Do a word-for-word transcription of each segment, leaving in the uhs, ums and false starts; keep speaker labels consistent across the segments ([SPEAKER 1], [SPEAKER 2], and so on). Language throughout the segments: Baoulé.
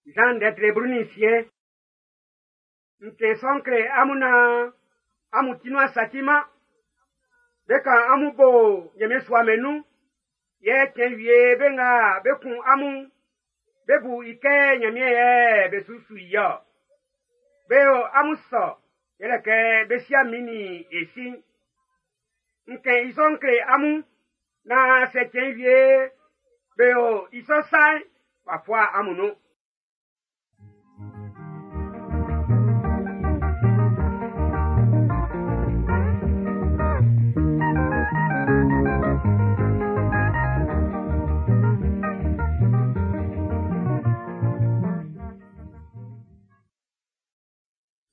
[SPEAKER 1] Jean ndɛ blu nin nsiɛn. Nke sɔ'n kle amun naan amun ti nuan saciman. Be kan amun bo Ɲanmiɛn sua'm nun. Yɛ cɛn wie be nga be kun amun, be bu i kɛ Ɲanmiɛn yɛ be su su i ɔ. Be yo amun sɔ yɛlɛ kɛ be sia min nin e si'n. Nke i sɔ'n kle amun naan sɛ cɛn wie be yo i sɔ sa'n, w'a fua amun nun.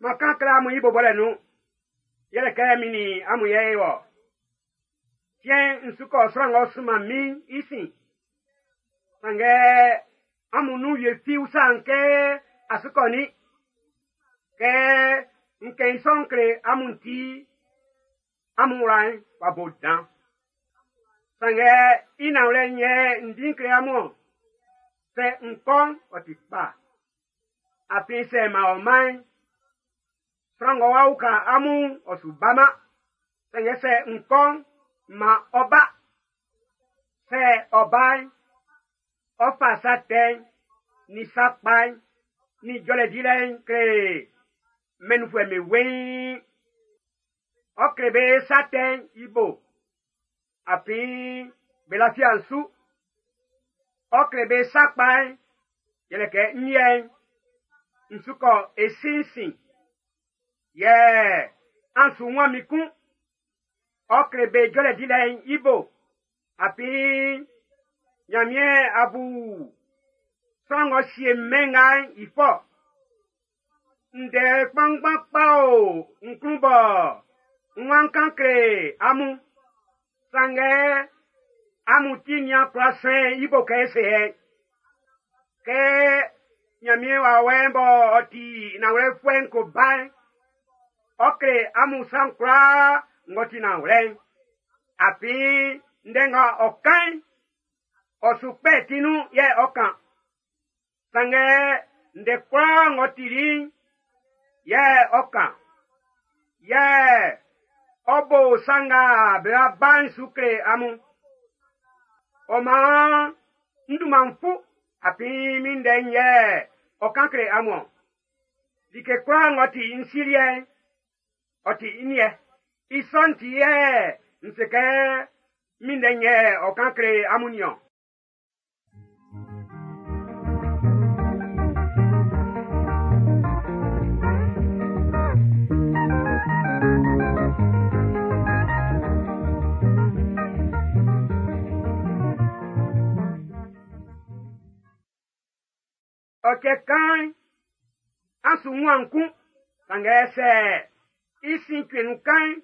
[SPEAKER 1] Makan kle amun i bɔbɔlɛ nun, yɛlɛ kɛ min nin amun yɛ e wɔ. Tiɛn n su kɔ sran ng'ɔ sunman min i sin. Sanngɛ amun nun wie fi usa kɛ a su kɔ ni. Kɛ n kɛn i sɔ'n kle amun ti, amun wla'n w'a bo dan. Sanngɛ i nanwlɛ'n yɛ n di kle amun ɔ. Sɛ n kɔ'n, ɔ ti kpa. Afin sɛ ma ɔ man'n, sran ng'ɔ wa uka amun ɔ su baman. Sanngɛ sɛ n kɔ'n, ma ɔ ba. Sɛ ɔ ba'n, ɔ fa sa tɛ'n, ni sa kpa'n, ni jɔlɛ dilɛ'n kle mɛnfuɛ'm be weiin. Ɔ kle be sa tɛ'n i bo, afin be lafia'n su. Ɔ kle be sa kpa'n, yɛlɛ kɛ n liɛ'n, n su kɔ e si'n sin. Yɛ an su wun min kun. Ɔ kle be jɔlɛ dilɛ'n i bo, afin Ɲanmiɛn a bu sran ng'ɔ sie mɛn nga'n i fɔ. Ndɛ kpanngban kpa o n klun bɔ n wan kan kle amun. Sanngɛ amun ti nian kwla sɛn i bo kɛ se yɛ. Kɛ Ɲanmiɛn wawɛ'n bɔ ɔ ti nanwlɛfuɛ'n ko ba'n, ɔ kle amun san kwlaa ng'ɔ ti nanwlɛ'n. Afin ndɛ nga ɔ kan'n, ɔ su kpɛ ti nun yɛ ɔ kan. Sanngɛ ndɛ kwlaa ng'ɔ tili'n, yɛ ɔ kan. Yɛ ɔ bo sa nga be ba'n su kle amun. Ɔ maan n dunman fu, afin min ndɛ'n yɛ ɔ kan kle amun. Like kwlaa ng'ɔ ti n si liɛ'n, ɔ ti n liɛ. I sɔ'n ti yɛ n se kɛ min ndɛ'n yɛ ɔ kan kle amun niɔn. Ɔ cɛ kan'n, an su wun kun, sanngɛ sɛ i sin kpe nun kan'n,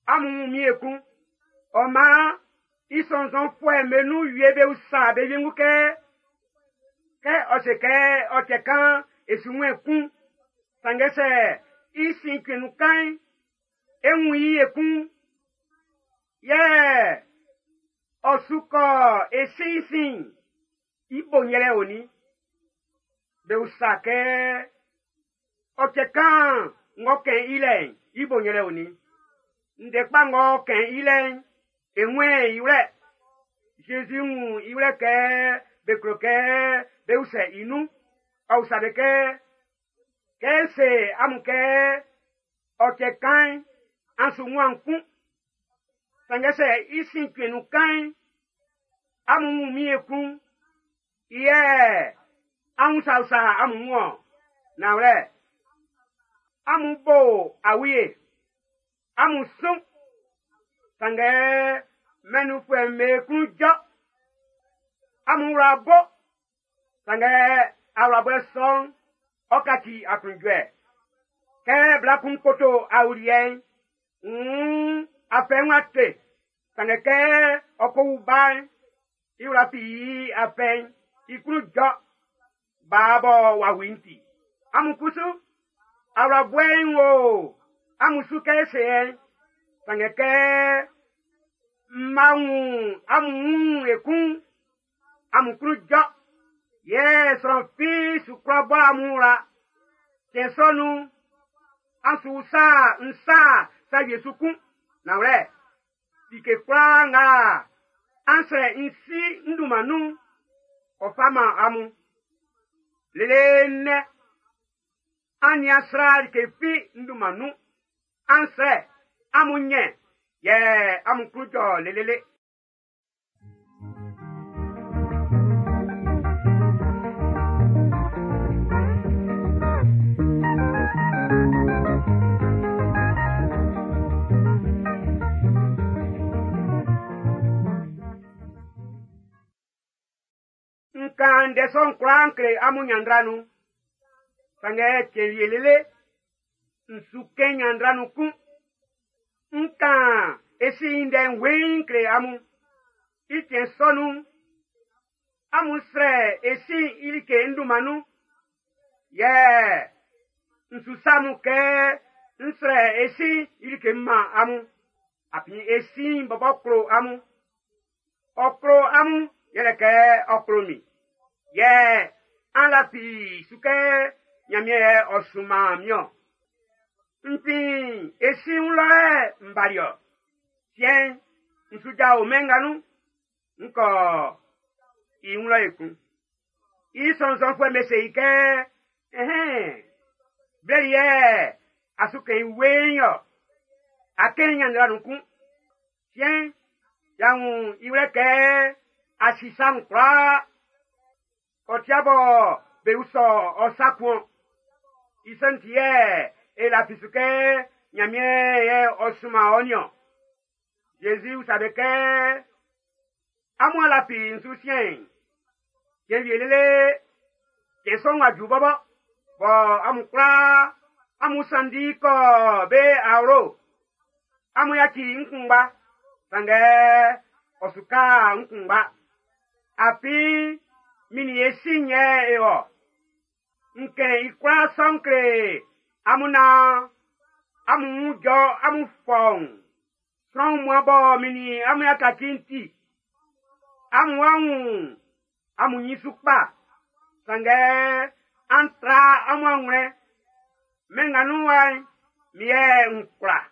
[SPEAKER 1] amun wun min ekun. Ɔ maan i sɔnnzɔnfuɛ'm be nun wie be usa be wiengu kɛ, kɛ ɔ se kɛ ɔ cɛ kan e su wun kun, sanngɛ sɛ i sin kpe nun kan'n, e wun i ekun. Yɛ ɔ su kɔ e si'n sin, i bo yɛlɛ oni. Be usa kɛ ɔ cɛ kan ng'ɔ kɛn i lɛ'n, i bo yɛlɛ oni. Ndɛ kpa ng'ɔ kɛn i lɛ'n, e wun i wlɛ. Zezi wun i wlɛ kɛ be klo kɛ be usɛ i nun. Ɔ usa be kɛ, kɛ n se amun kɛ ɔ cɛ kan'n, an su wun kun. Sanngɛ sɛ i sin kpe nun kan'n, amun wun min ekun. Yɛ amun usausa amun wun ɔ. Nanwlɛ, amun bo awie, amun sun. Sanngɛ mɛn nunfuɛ'm be klun jɔ. Amun wla bo. Sanngɛ awlabɔɛ sɔ'n, ɔ kaci aklunjuɛ. Kɛ bla kun koto awuliɛ'n, nn afɛ'n wa te. Sanngɛ kɛ ɔ ko wu ba'n, i wla fi i afɛ'n, i klun jɔ. Baa bɔ w'a wu i'n ti. Amun kusu, awlabɔɛ'n wo amun su kɛ se yɛ. Sanngɛ kɛ m ma wun amun wun ekun, amun klun jɔ. Yɛ sran fi su kwla bɔ amun wla. Cɛn sɔ nun'n, an su sa n sa sa wie su kun. Nanwlɛ, like kwlaa nga an srɛ n Si n dunman nun'n, ɔ fa man amun. Lele nnɛ, an nian sra like fi n dunman nun. An srɛ, amun nyɛ, yɛ amun klun jɔ lelele. Nkan ndɛ sɔ'n kwlaa n kle amun ɲanndra nun. Sanngɛ cɛn wie lele, n su kɛn ɲanndra nun kun. N kan e Si i ndɛ'n weiin kle amun. I cɛn sɔ nun'n, amun srɛ e Si i like n dunman nun. Yɛ n su se amun kɛ n srɛ e Si i like m man amun. Afin e Si bɔbɔ klo amun. Ɔ klo amun yɛlɛ kɛ ɔ klo min. Yɛ an lafi su kɛ Ɲanmiɛn yɛ ɔ sunman min-ɔn. N fin e Si wun lɔ yɛ n bali-ɔ. Siɛn'n, n su jao mɛn nga nun. N kɔ i wun lɔ ekun. I sɔnnzɔnfuɛ'm be se i kɛ, ɛhɛn, blɛ li yɛ a su kɛn i weiin-ɔ. A kɛn i ɲanndra nun kun. Siɛn'n, y'a wun i wlɛ kɛ a si sa'n kwlaa. Ɔ tia bɔ be usɔ ɔ sa kun-ɔn. I sɔ'n ti yɛ e lafi su kɛ Ɲanmiɛn yɛ ɔ sunman ɔ niɔn. Zezi usa be kɛ, amun a lafi n su siɛn'n? Cɛn wie lele, cɛn sɔ'n wa ju bɔbɔ, bɔ amun kwlaa amun sanndi kɔ be awlo. Amun yaci n kunngba, sanngɛ ɔ su ka n kunngba. Afin min nin e Si yɛ e wɔ. N kɛn i kwlaa sɔ'n kle amun naan amun wun jɔ amun fɔuun. Sran wunmuan bɔ min nin amun y'a kaci'n ti, amun wa wun amun ɲin su kpa. Sanngɛ an tra amun awlɛn. Mɛn nga nun wa'n, min yɛ n kwla.